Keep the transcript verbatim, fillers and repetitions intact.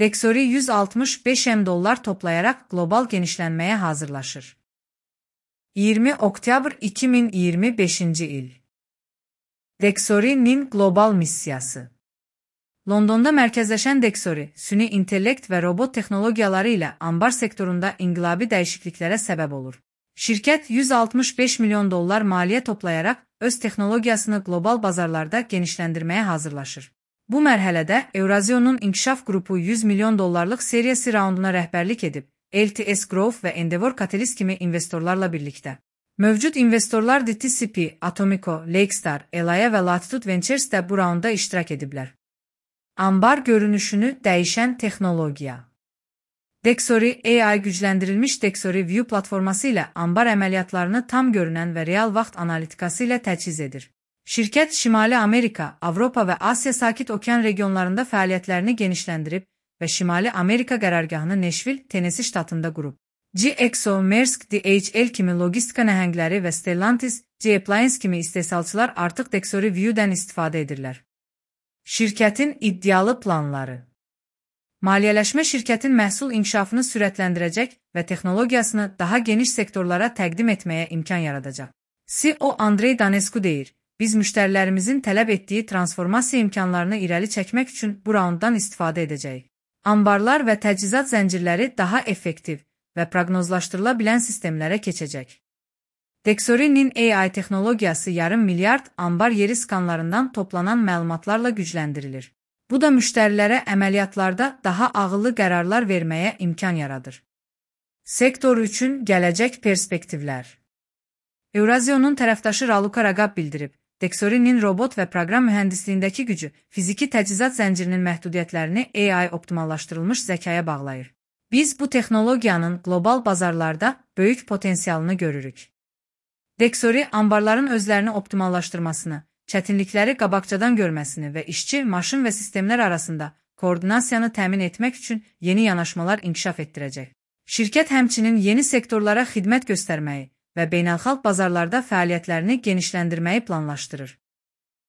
Dexory yüz altmış beş milyon dollar toplayarak global genişlenmeye hazırlaşır. iyirmi oktyabr iki bin iyirmi beşinci il. Dexory'nin global misyası. Londonda merkezleşen Dexory, süni intellekt ve robot teknolojiyaları ile ambar sektöründe inqilabi değişikliklere sebep olur. Şirket yüz altmış beş milyon dollar maliye toplayarak öz teknolojisini global bazarlarda genişlendirmeye hazırlaşır. Bu mərhələdə Eurazion'un inkişaf qrupu yüz milyon dollarlıq seriyası raunduna rəhbərlik edib, L T S Growth və Endeavor Catalyst kimi investorlarla birlikdə. Mövcud investorlar D T C P, Atomico, Lakestar, Elaya və Latitude Ventures də bu raunda iştirak ediblər. Ambar görünüşünü dəyişən texnologiya. Dexory A I gücləndirilmiş Dexory View platforması ilə ambar əməliyyatlarını tam görünən və real vaxt analitikası ilə təchiz edir. Şirket Şimali Amerika, Avropa və Asya Sakit Okean regionlarında fəaliyyətlərini genişləndirib və Şimali Amerika qərargahını Nashville, Tennessee ştatında qurub. G X O, Maersk, D H L kimi logistika nəhəngləri və Stellantis, G-Appliance kimi istehsalçılar artıq Dexory View-dən istifadə edirlər. Şirkətin iddialı planları. Maliyyələşmə şirkətin məhsul inkişafını sürətləndirəcək və texnologiyasını daha geniş sektorlara təqdim etməyə imkan yaradacaq. C E O Andrey Danescu deyir, biz müştərilərimizin tələb etdiyi transformasiya imkanlarını irəli çəkmək üçün bu raunddan istifadə edəcəyik. Ambarlar və təchizat zəncirləri daha effektiv və proqnozlaşdırıla bilən sistemlərə keçəcək. Dexory'nin A I texnologiyası yarım milyard ambar yeri skanlarından toplanan məlumatlarla gücləndirilir. Bu da müştərilərə əməliyyatlarda daha ağıllı qərarlar verməyə imkan yaradır. Sektor üçün gələcək perspektivlər. Eurazion'un tərəfdaşı Raluca Ragab bildirib, Dexory'nin robot və proqram mühəndisliyindəki gücü fiziki təchizat zəncirinin məhdudiyyətlərini A I optimallaşdırılmış zəkaya bağlayır. Biz bu texnologiyanın global bazarlarda böyük potensialını görürük. Dexory ambarların özlərini optimallaşdırmasını, çətinlikləri qabaqcadan görməsini və işçi, maşın və sistemlər arasında koordinasiyanı təmin etmək üçün yeni yanaşmalar inkişaf etdirəcək. Şirkət həmçinin yeni sektorlara xidmət göstərməyi və beynəlxalq bazarlarda fəaliyyətlərini genişləndirməyi planlaşdırır.